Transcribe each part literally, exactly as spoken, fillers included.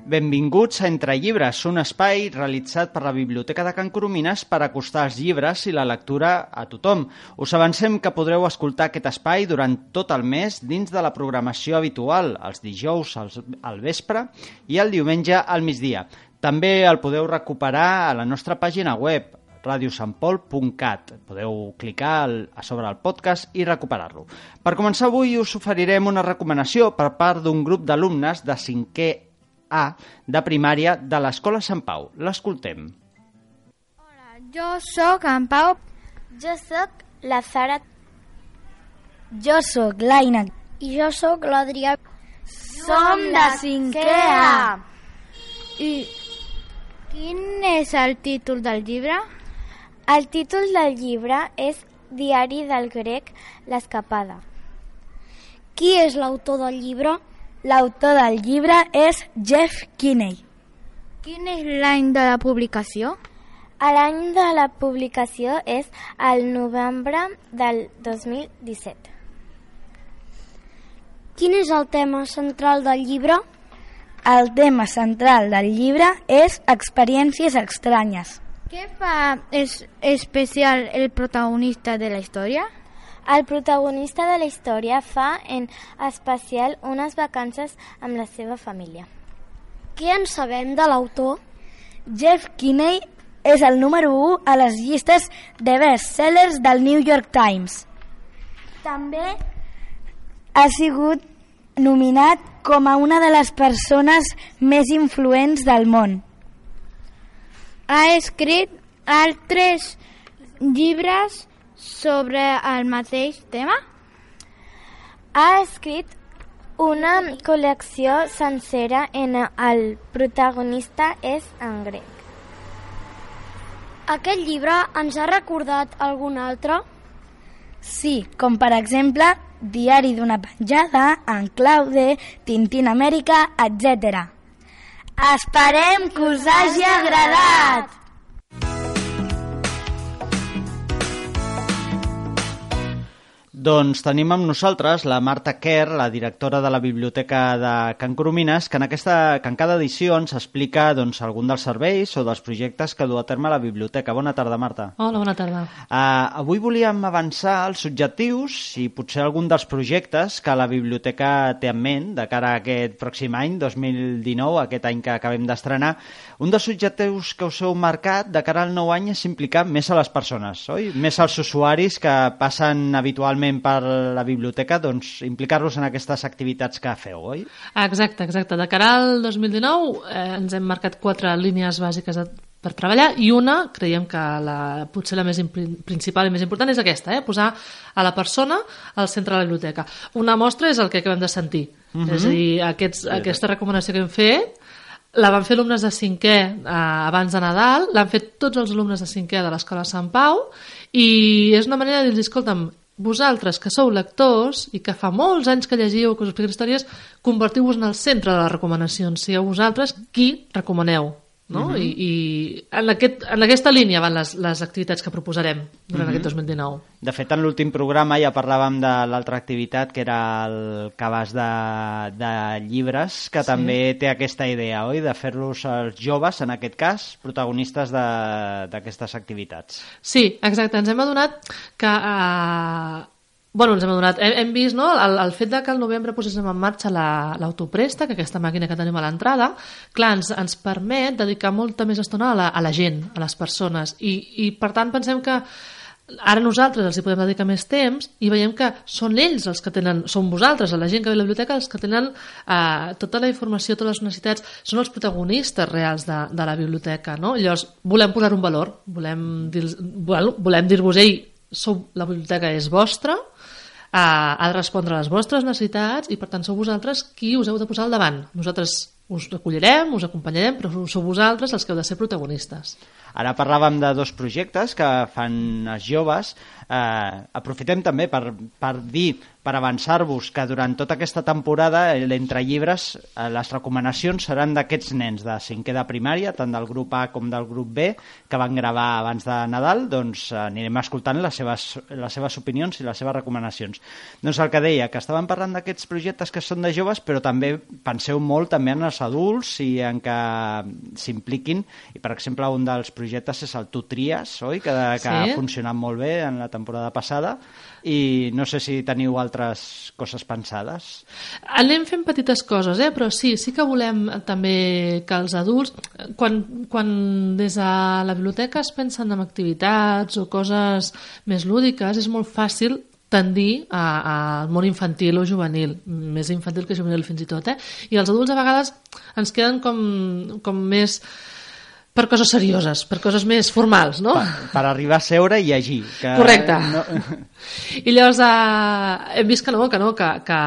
Benvinguts a Entre Llibres, un espai realitzat per la Biblioteca de Can Coromines per acostar els llibres i la lectura a tothom. Us avancem que podreu escoltar aquest espai durant tot el mes dins de la programació habitual, els dijous al vespre i el diumenge al migdia. També el podeu recuperar a la nostra pàgina web, radio sant pol punt cat. Podeu clicar a sobre el podcast i recuperar-lo. Per començar avui us oferirem una recomanació per part d'un grup d'alumnes de cinquè A de primària de l'Escola Sant Pau. L'escoltem. Hola, jo sóc en Pau. Jo sóc la Sara. Jo sóc l'Aina. I jo sóc l'Adrià. Som de cinquè A. I quin és el títol del llibre? El títol del llibre és Diari del grec, l'escapada. Qui és l'autor del llibre? L'autor del llibre és Jeff Kinney. Quin és l'any de la publicació? L'any de la publicació és el novembre del dos mil disset. Quin és el tema central del llibre? El tema central del llibre és experiències estranyes. Què fa és especial el protagonista de la història? El protagonista de la història fa en especial unes vacances amb la seva família. Què en sabem de l'autor? Jeff Kinney és el número u a les llistes de best-sellers del New York Times. També ha sigut nominat com a una de les persones més influents del món. Ha escrit altres llibres sobre el mateix tema? Ha escrit una col·lecció sencera en el protagonista és en grec. Aquest llibre ens ha recordat algun altre? Sí, com per exemple Diari d'una penjada, En Claude, Tintín Amèrica, etcètera. Esperem que us hagi agradat! Doncs tenim amb nosaltres la Marta Kerr, la directora de la Biblioteca de Can Coromines, que en, aquesta, que en cada edició ens explica doncs, algun dels serveis o dels projectes que du a terme la biblioteca. Bona tarda, Marta. Hola, bona tarda. Uh, avui volíem avançar els objectius i potser algun dels projectes que la biblioteca té en ment de cara a aquest pròxim any, dos mil dinou, aquest any que acabem d'estrenar. Un dels objectius que us heu marcat de cara al nou any és implicar més a les persones, oi? Més als usuaris que passen habitualment per la biblioteca, doncs implicar-los en aquestes activitats que feu, oi? Exacte, exacte. De cara al dos mil dinou eh, ens hem marcat quatre línies bàsiques de, per treballar i una, creiem que la, potser la més principal i més important és aquesta, eh? Posar a la persona al centre de la biblioteca. Una mostra és el que acabem de sentir. Uh-huh. És a dir, aquests, aquesta recomanació que hem fet la van fer alumnes de cinquè eh, abans de Nadal, l'han fet tots els alumnes de cinquè de l'Escola Sant Pau i és una manera de dir, escolta'm, vosaltres que sou lectors i que fa molts anys que llegiu, que us expliqueu històries, convertiu-vos en el centre de les recomanacions, sigueu vosaltres qui recomaneu, no? Uh-huh. I, i en, aquest, en aquesta línia van les, les activitats que proposarem durant uh-huh. aquest dos mil dinou. De fet, en l'últim programa ja parlàvem de l'altra activitat, que era el cabàs de, de llibres, que sí. També té aquesta idea, oi?, de fer-los els joves, en aquest cas, protagonistes d'aquestes activitats. Sí, exacte. Ens hem adonat que... Eh, Bueno, ens hem adonat, hem, hem vist, no?, el, el fet de que al novembre poséssim en marxa l'autoprèstec, aquesta màquina que tenim a l'entrada, clar, ens, ens permet dedicar molta més estona a la, a la gent, a les persones, i, i per tant pensem que ara nosaltres els hi podem dedicar més temps i veiem que són ells els que tenen, són vosaltres, la gent que ve a la biblioteca, els que tenen eh, tota la informació, totes les necessitats, són els protagonistes reals de, de la biblioteca, no? Llavors, volem posar un valor, volem dir, volem dir-vos, ei, sou, la biblioteca és vostra, ha de respondre a les vostres necessitats i per tant sou vosaltres qui us heu de posar al davant. Nosaltres us recollirem, us acompanyarem, però sou vosaltres els que heu de ser protagonistes. Ara parlàvem de dos projectes que fan els joves. Eh, aprofitem també per, per dir per avançar-vos que durant tota aquesta temporada, l'Entre Llibres, les recomanacions seran d'aquests nens de cinquè de primària, tant del grup A com del grup B, que van gravar abans de Nadal, doncs anirem escoltant les seves, les seves opinions i les seves recomanacions. Doncs el que deia, que estàvem parlant d'aquests projectes que són de joves, però també penseu molt també en els adults i en que s'impliquin, i per exemple un dels projectes és el Tu Tries, oi? Que, que sí. ha funcionat molt bé en la temporada passada, i no sé si teniu altres coses pensades. Anem fent petites coses, eh? Però sí, sí que volem també que els adults, quan, quan des de la biblioteca es pensen en activitats o coses més lúdiques, és molt fàcil tendir al món infantil o juvenil, més infantil que juvenil fins i tot, eh? I els adults a vegades ens queden com, com més per coses serioses, per coses més formals, no? Per, per arribar a seure i llegir. Que Correcte. No... I llavors eh, hem vist que no, que no, que, que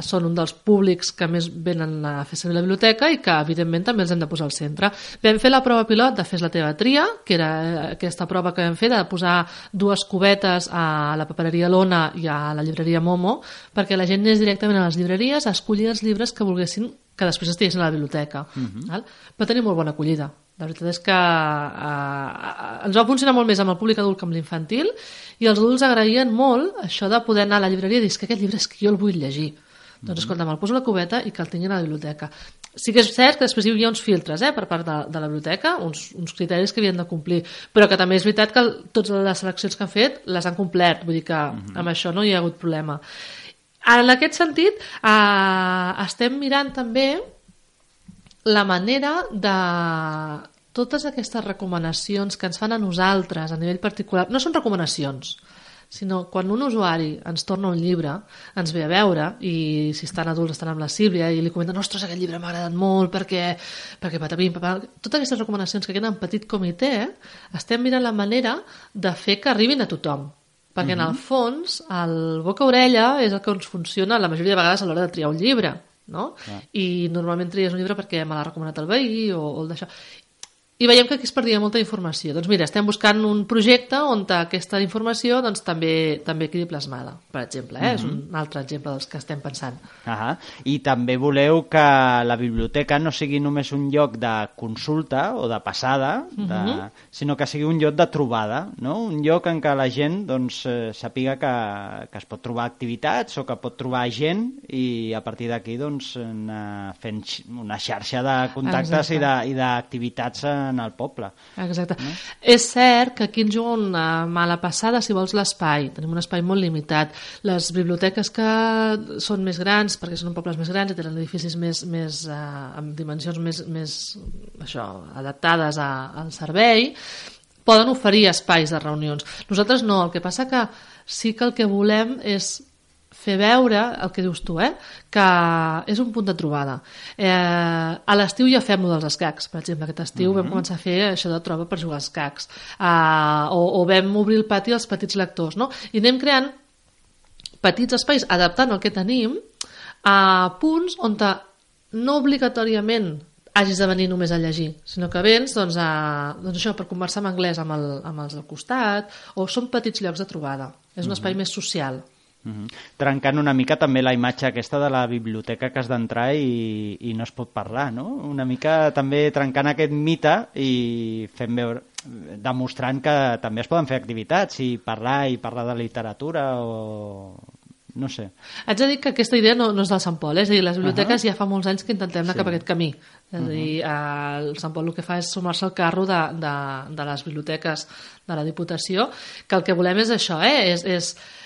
són un dels públics que més venen a fer servir la biblioteca i que, evidentment, també els hem de posar al centre. Vam fer la prova pilot de Fes la teva tria, que era aquesta prova que vam fer de posar dues cubetes a la papereria Lona i a la llibreria Momo, perquè la gent anés directament a les llibreries a escollir els llibres que volguessin que després estiguessin a la biblioteca. Uh-huh. Val? Va tenir molt bona acollida. La veritat és que eh, ens va funcionar molt més amb el públic adult que amb l'infantil, i els adults agraïen molt això de poder anar a la llibreria i dir que aquest llibre és que jo el vull llegir. Mm-hmm. Doncs escolta, me'l poso a la cubeta i que el tinguin a la biblioteca. Sí que és cert que després hi havia uns filtres eh, per part de, de la biblioteca, uns, uns criteris que havien de complir, però que també és veritat que totes les seleccions que han fet les han complert, vull dir que mm-hmm. amb això no hi ha hagut problema. En aquest sentit, eh, estem mirant també la manera de totes aquestes recomanacions que ens fan a nosaltres a nivell particular, no són recomanacions, sinó quan un usuari ens torna un llibre, ens ve a veure, i si estan adults estan amb la Sílvia i li comenten, ostres, aquest llibre m'ha agradat molt perquè, perquè patapim, patapim. Totes aquestes recomanacions que queden en petit comitè, estem mirant la manera de fer que arribin a tothom, perquè uh-huh. en el fons el boca-orella és el que ens funciona la majoria de vegades a l'hora de triar un llibre, no? Ah. I normalment tries un llibre perquè me l'ha recomanat el veí o, o el d'això, i veiem que aquí es perdia molta informació. Doncs mira, estem buscant un projecte on aquesta informació doncs, també, també quedi plasmada, per exemple, eh? Uh-huh. És un altre exemple dels que estem pensant. Uh-huh. I també voleu que la biblioteca no sigui només un lloc de consulta o de passada, de... Uh-huh. sinó que sigui un lloc de trobada, no? Un lloc en què la gent doncs, eh, sàpiga que, que es pot trobar activitats o que pot trobar gent, i a partir d'aquí doncs, anar fent una xarxa de contactes Exacte. i d'activitats en el poble. Exacte. No? És cert que aquí ens juga una mala passada, si vols, l'espai. Tenim un espai molt limitat. Les biblioteques que són més grans, perquè són pobles més grans i tenen edificis més, més eh, amb dimensions més, més això, adaptades a, al servei, poden oferir espais de reunions. Nosaltres no. El que passa que sí que el que volem és fer veure el que dius tu, eh? Que és un punt de trobada. Eh, a l'estiu ja fem dels escacs, per exemple. Aquest estiu uh-huh. vam començar a fer això de troba per jugar als escacs. Uh, o, o vam obrir el pati als petits lectors, no? I anem creant petits espais, adaptant el que tenim, a punts on no obligatòriament hagis de venir només a llegir, sinó que vens doncs, a, doncs això, per conversar en anglès amb, el, amb els del costat, o són petits llocs de trobada. És un uh-huh. espai més social. Uh-huh. Trencant una mica també la imatge aquesta de la biblioteca que has d'entrar i, i no es pot parlar, no? Una mica també trencant aquest mite i fent veure, demostrant que també es poden fer activitats i parlar i parlar de literatura o... no sé. Haig de dir que aquesta idea no, no és del Sant Pol, eh? És a dir, les biblioteques uh-huh. ja fa molts anys que intentem anar sí. cap a aquest camí. És a dir, uh-huh. el Sant Pol el que fa és sumar-se al carro de, de, de les biblioteques de la Diputació, que el que volem és això, eh? És... és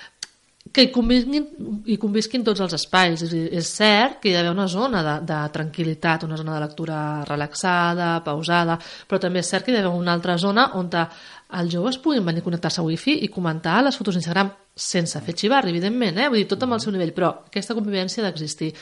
que hi convisquin, hi convisquin tots els espais. És, és cert que hi ha d'haver una zona de, de tranquil·litat, una zona de lectura relaxada, pausada, però també és cert que hi ha d'haver una altra zona on els joves puguin venir a connectar-se a wifi i comentar les fotos d'Instagram sense fer xivarri, evidentment, eh? Vull dir, tot amb el seu nivell, però aquesta convivència ha d'existir.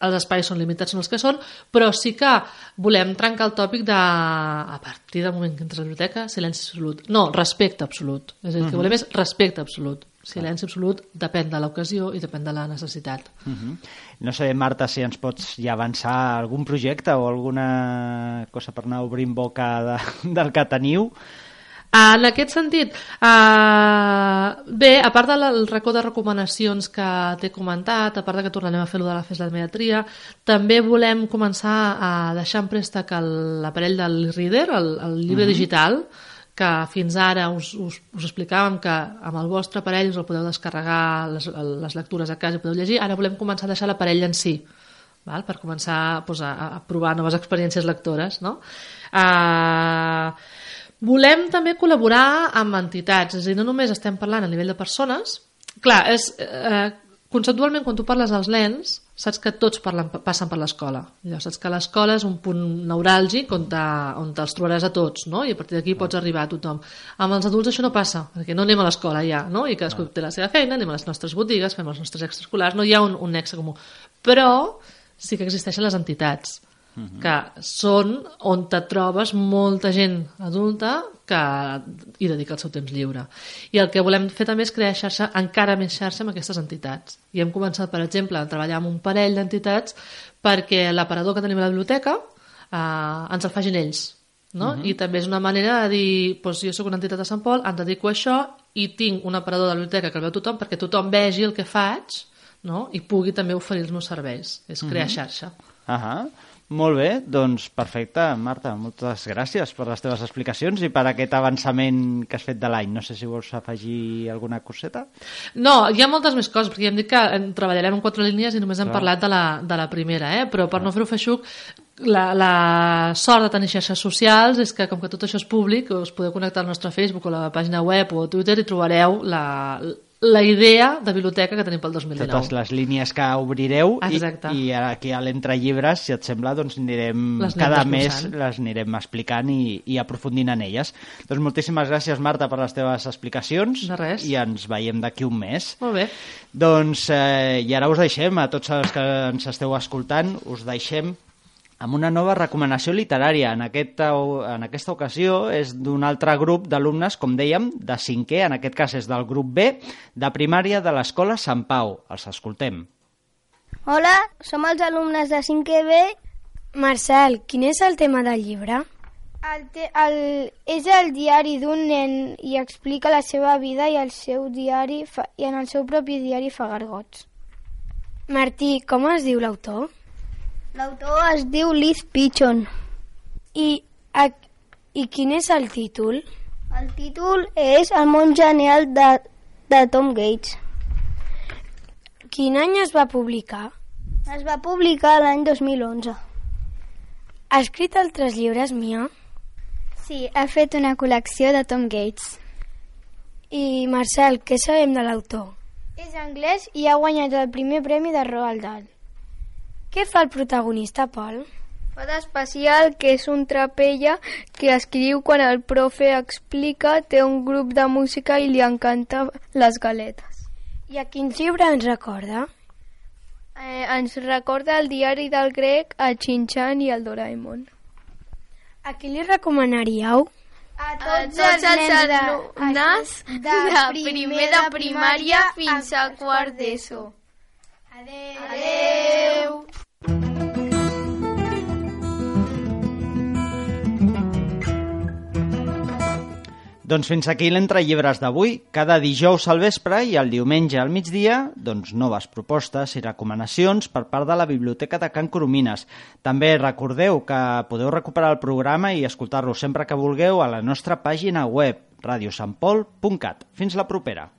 Els espais són limitats, són els que són, però sí que volem trencar el tòpic de, a partir del moment que entres a la biblioteca, silenci absolut. No, respecte absolut. És a dir, el que volem és respecte absolut. Silenci absolut depèn de l'ocasió i depèn de la necessitat. Uh-huh. No sé, Marta, si ens pots ja avançar algun projecte o alguna cosa per anar obrint boca de, del que teniu. En aquest sentit, eh, bé, a part del racó de recomanacions que t'he comentat, a part de que tornarem a fer-lo de la festa de mediatria, també volem començar a deixar en préstec l'aparell del e-reader, el, el llibre uh-huh. digital, que fins ara us, us, us explicàvem que amb el vostre aparell us el podeu descarregar les, les lectures a casa i podeu llegir. Ara volem començar a deixar l'aparell en si, val? Per començar doncs, a, a provar noves experiències lectores, no? Uh, volem també col·laborar amb entitats, és a dir, no només estem parlant a nivell de persones. Clar, és, eh, conceptualment, quan tu parles als nens, saps que tots parlen, passen per l'escola. Llavors, saps que l'escola és un punt neuràlgic on, te, on te'ls trobaràs a tots, no? I a partir d'aquí pots arribar a tothom. Amb els adults això no passa, perquè no anem a l'escola ja, no? I cadascú té la seva feina, anem a les nostres botigues, fem els nostres extraescolars, no hi ha un, un nexe comú. Però sí que existeixen les entitats, que són on te trobes molta gent adulta que hi dedica el seu temps lliure. I el que volem fer també és crear xarxa, encara més xarxa amb aquestes entitats. I hem començat, per exemple, a treballar amb un parell d'entitats perquè l'aparador que tenim a la biblioteca eh, ens el facin ells. No? Uh-huh. I també és una manera de dir, doncs jo soc una entitat de Sant Pol, em dedico a això i tinc un aparador de la biblioteca que el veu tothom perquè tothom vegi el que faig, no? I pugui també oferir els meus serveis. És crear uh-huh. xarxa. Ahà. Uh-huh. Molt bé, doncs perfecte, Marta, moltes gràcies per les teves explicacions i per aquest avançament que has fet de l'any. No sé si vols afegir alguna coseta? No, hi ha moltes més coses, perquè ja hem dit que treballarem en quatre línies i només hem Clar. parlat de la, de la primera, eh? Però per Clar. no fer-ho feixuc, la, la sort de tenir xarxes socials és que com que tot això és públic, us podeu connectar al nostre Facebook o a la pàgina web o a Twitter i trobareu la... la idea de biblioteca que tenim pel dos mil dinou. Totes les línies que obrireu i, i aquí a l'entrellibres, si et sembla, doncs anirem cada mes les anirem explicant i, i aprofundint en elles. Doncs moltíssimes gràcies, Marta, per les teves explicacions. De res. I ens veiem d'aquí un mes. Molt bé. Doncs, eh, i ara us deixem, a tots els que ens esteu escoltant, us deixem amb una nova recomanació literària. En aquesta, en aquesta ocasió és d'un altre grup d'alumnes, com dèiem, de cinquè, en aquest cas és del grup B, de primària de l'Escola Sant Pau. Els escoltem. Hola, som els alumnes de cinquè B. Marcel, quin és el tema del llibre? El te, el, és el diari d'un nen i explica la seva vida i, el seu diari fa, i en el seu propi diari fa gargots. Martí, com es diu l'autor? L'autor es diu Liz Pichon. I, a, I quin és el títol? El títol és El món genial de, de Tom Gates. Quin any es va publicar? Es va publicar l'any dos mil onze. Ha escrit altres llibres, Mia? Sí, ha fet una col·lecció de Tom Gates. I, Marcel, què sabem de l'autor? És anglès i ha guanyat el primer premi de Roald Dahl. Què fa el protagonista, Pol? Fa d'especial, que és un trapella que escriu quan el profe explica, té un grup de música i li encanta les galetes. I a quin llibre ens recorda? Eh, ens recorda el diari del grec, el Shin-chan i el Doraemon. A qui li recomanaríeu? A tots, a tots els, els alumnes de, de primer de primària fins a quart d'ESO. Adeu. Adeu. Doncs fins aquí l'entrellibres d'avui. Cada dijous al vespre i el diumenge al migdia, doncs noves propostes i recomanacions per part de la Biblioteca de Can Coromines. També recordeu que podeu recuperar el programa i escoltar-lo sempre que vulgueu a la nostra pàgina web radio sant pol punt cat. Fins la propera.